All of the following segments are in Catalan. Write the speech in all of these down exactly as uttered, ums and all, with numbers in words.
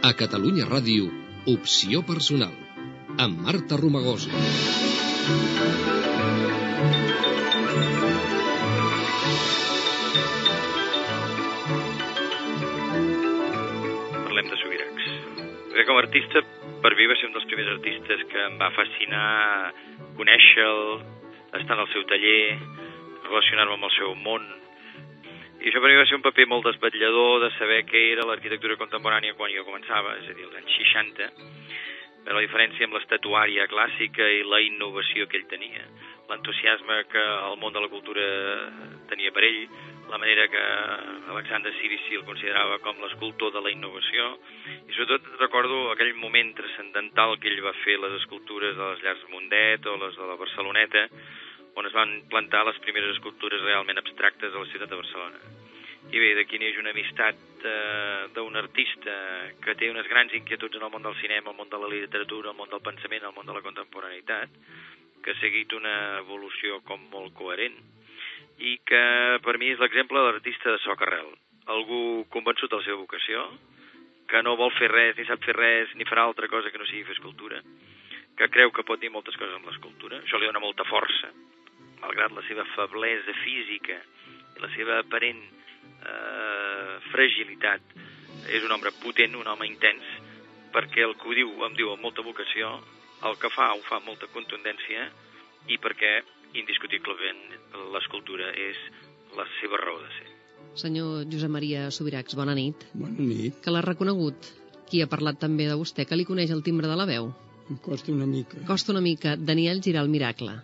A Catalunya Ràdio, Opció Personal, amb Marta Romagosa. Parlem de Subirachs. Bé, com a artista, per mi va ser un dels primers artistes que em va fascinar conèixer-lo, estar en el seu taller, relacionar-me amb el seu món. I això per mi va ser un paper molt desvetllador de saber què era l'arquitectura contemporània quan jo començava, és a dir, als anys seixanta, però la diferència amb l'estatuària clàssica i la innovació que ell tenia, l'entusiasme que el món de la cultura tenia per ell, la manera que Alexandre Cirici el considerava com l'escultor de la innovació, i sobretot recordo aquell moment transcendental que ell va fer les escultures de les llars Mundet o les de la Barceloneta, on es van plantar les primeres escultures realment abstractes a la ciutat de Barcelona. I bé, d'aquí neix una amistat eh, d'un artista que té unes grans inquietuds en el món del cinema, el món de la literatura, el món del pensament, el món de la contemporaneïtat, que ha seguit una evolució com molt coherent i que per mi és l'exemple de l'artista de soc arrel. Algú convençut de la seva vocació, que no vol fer res, ni sap fer res, ni farà altra cosa que no sigui fer escultura, que creu que pot dir moltes coses amb l'escultura. Això li dona molta força, malgrat la seva feblesa física i la seva aparent eh, fragilitat. És un home potent, un home intens, perquè el que ho diu, em diu amb molta vocació, el que fa ho fa amb molta contundència i perquè, indiscutiblement, l'escultura és la seva raó de ser. Senyor Josep Maria Subirachs, bona nit. Bona nit. Que l'ha reconegut? Qui ha parlat també de vostè? Que li coneix el timbre de la veu? Em costa una mica. Costa una mica. Daniel Giral Miracle.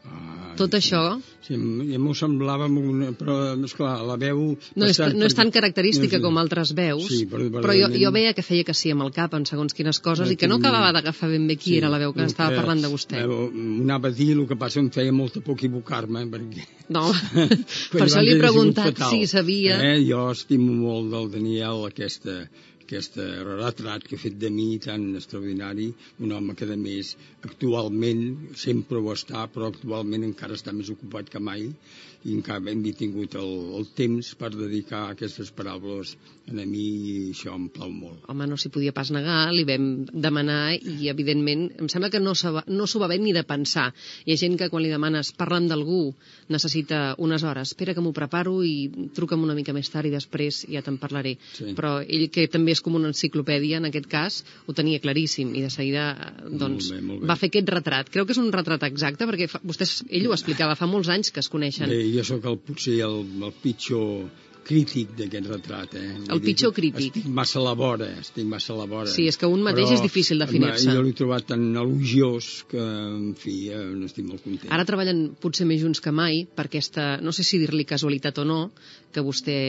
Ah, Tot sí. això... Sí, ja m'ho semblava, una, però, esclar, la veu... No és, no és tan característica no sé. com altres veus, sí, però, però jo, jo veia que feia que sí amb el cap en segons quines coses i que no acabava d'agafar ben bé qui sí, era la veu que estava que, parlant de vostè. Veu, anava a dir, el que passa em feia molta por equivocar-me, perquè... No, per això li he preguntat si sabia... Eh? Jo estimo molt del Daniel aquesta... aquest retrat que ha fet de mi tan extraordinari, un home que a més actualment sempre ho està, però actualment encara està més ocupat que mai i encara hem tingut el, el temps per dedicar aquestes paraules a mi i això em plau molt. Home, no s'hi podia pas negar, li vam demanar i evidentment em sembla que no s'ho va, no s'ho va haver ni de pensar. Hi ha gent que quan li demanes parlant d'algú necessita unes hores, espera que m'ho preparo i truca'm una mica més tard i després ja te'n parlaré. Sí. Però ell, que també és com una enciclopèdia, en aquest cas, ho tenia claríssim i de seguida doncs, molt bé, molt bé. Va fer aquest retrat. Creu que és un retrat exacte perquè fa, vostès, ell ho explicava, fa molts anys que es coneixen. Bé, jo sóc el, potser el, el pitjor crític d'aquest retrat. Eh? El pitjor crític. Estic massa a la vora, estic massa a la vora. Sí, és que un mateix però, és difícil definir-se. Jo l'he trobat tan elogiós que, en fi, eh, n'estic molt content. Ara treballen potser més junts que mai per aquesta, no sé si dir-li casualitat o no, que vostè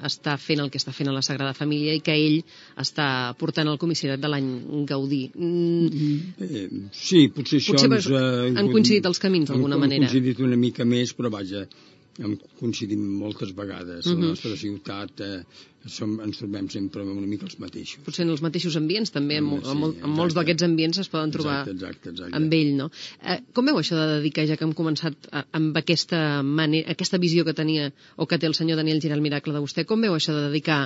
està fent el que està fent a la Sagrada Família i que ell està portant el comissariat de l'any Gaudí. Mm. Eh, sí, potser això... Potser ens, eh, han coincidit els camins d'alguna manera. Han coincidit una mica més, però vaja... hem coincidit moltes vegades. Uh-huh. La nostra ciutat eh, som, ens trobem sempre una mica els mateixos. Potser en els mateixos ambients, també, en, sí, en, mol, en molts d'aquests ambients es poden trobar exacte, exacte, exacte. amb ell, no? Eh, com veu això de dedicar, ja que hem començat a, amb aquesta, manera, aquesta visió que tenia o que té el senyor Daniel Giral Miracle de vostè, com veu això de dedicar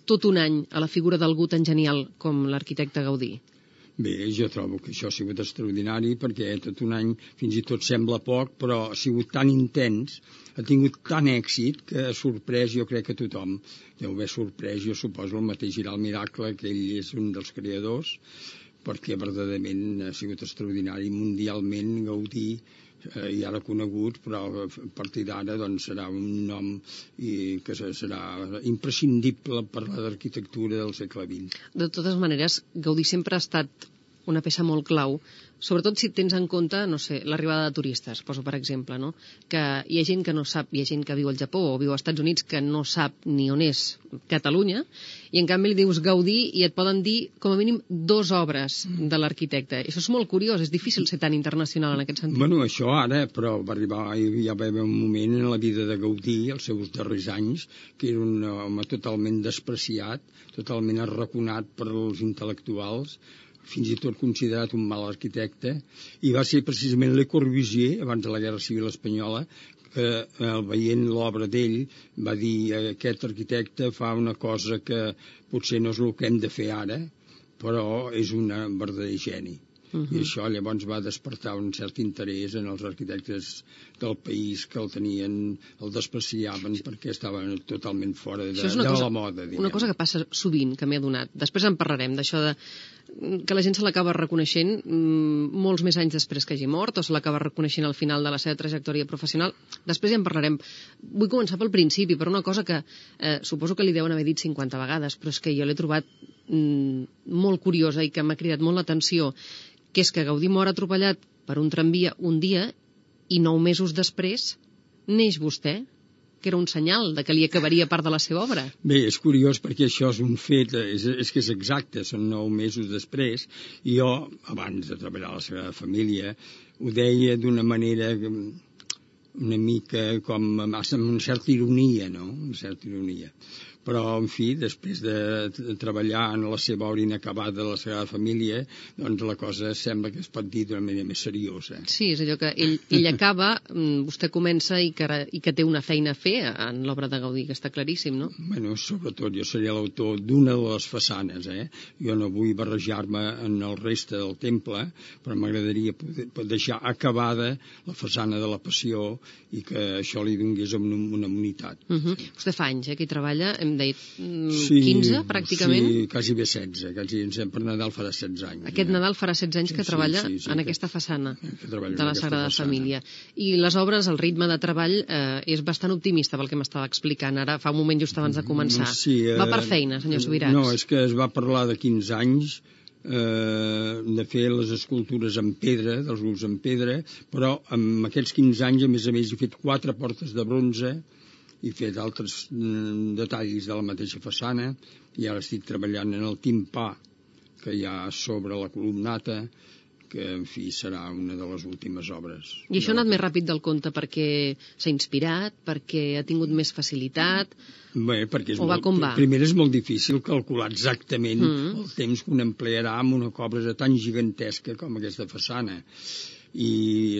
tot un any a la figura d'algú tan genial com l'arquitecte Gaudí? Bé, jo trobo que això ha sigut extraordinari perquè tot un any fins i tot sembla poc, però ha sigut tan intens, ha tingut tant èxit que ha sorprès, jo crec que tothom deu haver sorprès, jo suposo el mateix Giral Miracle, que ell és un dels creadors, perquè verdaderament ha sigut extraordinari mundialment. Gaudí eh, ja l'ha conegut, però a partir d'ara doncs, serà un nom i, que serà imprescindible per a l'arquitectura del segle vint. De totes maneres, Gaudí sempre ha estat una peça molt clau, sobretot si tens en compte, no sé, l'arribada de turistes, poso per exemple, no? Que hi ha gent que no sap, hi ha gent que viu al Japó o viu als Estats Units que no sap ni on és Catalunya, i en canvi li dius Gaudí i et poden dir com a mínim dues obres de l'arquitecte. Això és molt curiós, és difícil ser tan internacional en aquest sentit. Bueno, això ara, però va arribar, ja va haver un moment en la vida de Gaudí, els seus darrers anys, que era un home totalment despreciat, totalment arraconat per als intel·lectuals, fins i tot considerat un mal arquitecte, i va ser precisament Le Corbusier, abans de la Guerra Civil Espanyola, que eh, veient l'obra d'ell va dir aquest arquitecte fa una cosa que potser no és el que hem de fer ara, però és un verdader geni. Uh -huh. I això llavors va despertar un cert interès en els arquitectes del país que el tenien, el despreciaven perquè estaven totalment fora de, de cosa, la moda. Diguem. Una cosa que passa sovint, que m'he adonat. Després en parlarem d'això de que la gent se l'acaba reconeixent mmm, molts més anys després que hagi mort o se l'acaba reconeixent al final de la seva trajectòria professional. Després ja en parlarem. Vull començar pel principi, per una cosa que eh, suposo que li deuen haver dit cinquanta vegades, però és que jo l'he trobat mm, molt curiosa i que m'ha cridat molt l'atenció, que és que Gaudí mor atropellat per un tramvia un dia i nou mesos després neix vostè, que era un senyal de que li acabaria part de la seva obra. Bé, és curiós perquè això és un fet, és, és que és exacte, són nou mesos després, i jo, abans de treballar a la Sagrada Família, ho deia d'una manera una mica com amb una certa ironia, no? Una certa ironia. Però, en fi, després de treballar en la seva obra inacabada de la Sagrada Família, doncs la cosa sembla que es pot dir d'una manera més seriosa. Sí, és allò que ell, ell acaba, vostè comença i que, i que té una feina a fer en l'obra de Gaudí, que està claríssim, no? Bueno, sobretot jo seria l'autor d'una de les façanes, eh? Jo no vull barrejar-me en el reste del temple, però m'agradaria poder deixar acabada la façana de la Passió i que això li donés una, una unitat. Uh -huh. Sí. Vostè fa anys, eh, que hi treballa, hem dit quinze, sí, pràcticament? Sí, quasi bé setze, quasi per Nadal farà setze anys. Aquest ja. Nadal farà setze anys que sí, treballa sí, sí, en que, aquesta façana de la Sagrada Família. I les obres, el ritme de treball eh, és bastant optimista pel que m'estava explicant. Ara, fa un moment just abans de començar. Sí, eh, va per feina, senyor Subirats? No, és que es va parlar de quinze anys eh, de fer les escultures en pedra, dels grups en pedra, però en aquests quinze anys, a més a més, he fet quatre portes de bronze, he fet altres mm, detalls de la mateixa façana, i ara estic treballant en el timpà que hi ha sobre la columnata, que, en fi, serà una de les últimes obres. I això ha anat més ràpid del compte perquè s'ha inspirat, perquè ha tingut més facilitat? Bé, perquè és o va molt, com va? Primer és molt difícil calcular exactament mm. el temps que un emplearà amb una obra tan gigantesca com aquesta façana. I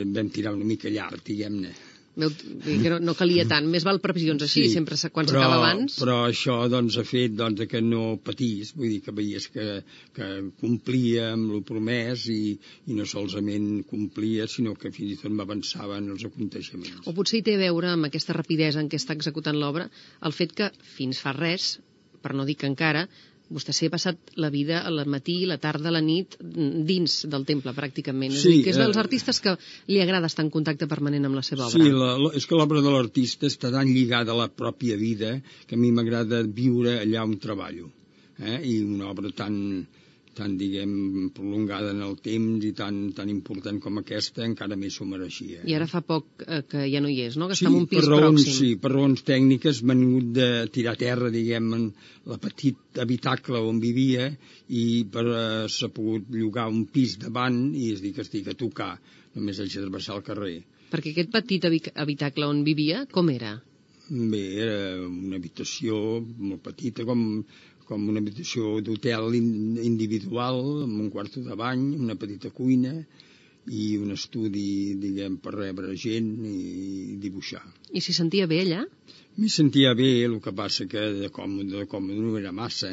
vam tirar una mica llarg, diguem-ne. Veu, que no, no calia tant, més val previsions així, sí, sempre quan s'acaba abans. Però això doncs, ha fet doncs, que no patís, vull dir que veies que, que complia amb el promès i, i no solament complia, sinó que fins i tot m'avançava en els aconteixements. O potser hi té a veure amb aquesta rapidesa en què està executant l'obra el fet que fins fa res, per no dir que encara, vostè s'hi ha passat la vida al matí, la tarda, la nit, dins del temple, pràcticament. És, sí, dir, que és dels artistes que li agrada estar en contacte permanent amb la seva obra. Sí, la, la, és que l'obra de l'artista està tan lligada a la pròpia vida que a mi m'agrada viure allà on treballo. Eh? I una obra tan, tan, diguem, prolongada en el temps i tan, tan important com aquesta encara més s'ho mereixia. I ara fa poc eh, que ja no hi és, no? Que sí, està en un pis per raons, pròxim. Sí, per raons tècniques m'han hagut de tirar a terra, diguem, en la petit habitacle on vivia i per eh, s'ha pogut llogar un pis davant i es diu que estic a tocar, només haig de travessar el carrer. Perquè aquest petit habitacle on vivia, com era? Bé, era una habitació molt petita, com, com una habitació d'hotel individual, amb un quarto de bany, una petita cuina i un estudi, diguem, per rebre gent i dibuixar. I s'hi sentia bé allà? M'hi sentia bé, el que passa que de còmode, de còmode no era massa,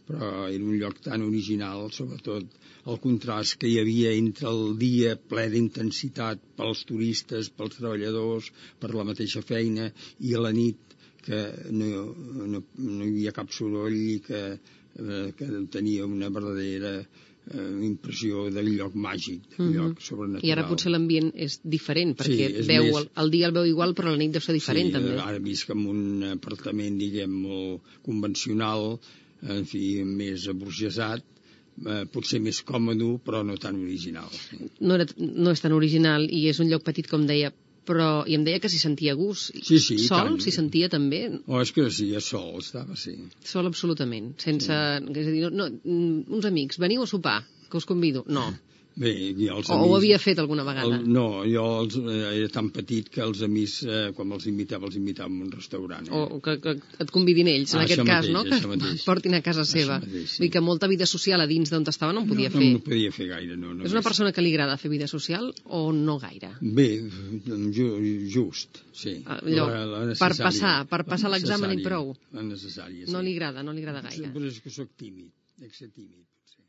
però era un lloc tan original, sobretot el contrast que hi havia entre el dia ple d'intensitat pels turistes, pels treballadors, per la mateixa feina, i a la nit que no, no, no hi havia cap soroll i que, eh, que tenia una verdadera eh, impressió del lloc màgic, del lloc mm-hmm. sobrenatural. I ara potser l'ambient és diferent, perquè sí, veu, més... el, el dia el veu igual, però la nit deu ser diferent, sí, també. Ara visc en un apartament, diguem, molt convencional, en fi, més aburgesat, eh, potser més còmode, però no tan original. Sí. No, era, no és tan original i és un lloc petit, com deia, però i em deia que s'hi sentia a gust. Sí, sí, sol s'hi sentia també? Oh, és que sí, a sol estava, sí. Sol absolutament, sense... Sí. És a dir, no, no, uns amics, veniu a sopar, que us convido. No. Bé, jo els o amics... ho havia fet alguna vegada? El, no, jo els, eh, era tan petit que els amics, eh, quan els invitava, els invitava a un restaurant. Eh? O que, que et convidin ells, ah, en aquest mateix, cas, no? Que mateix. portin a casa seva. Mateix, sí. Vull dir que molta vida social a dins d'on estava no en podia no, fer. No, no podia fer gaire, no. És una persona que li agrada fer vida social o no gaire? Bé, ju, just, sí. Allò, la, la per passar, per passar l'examen i prou. La necessària, sí. No li agrada, no li agrada gaire. Però és que sóc tímid, dec ser tímid, potser.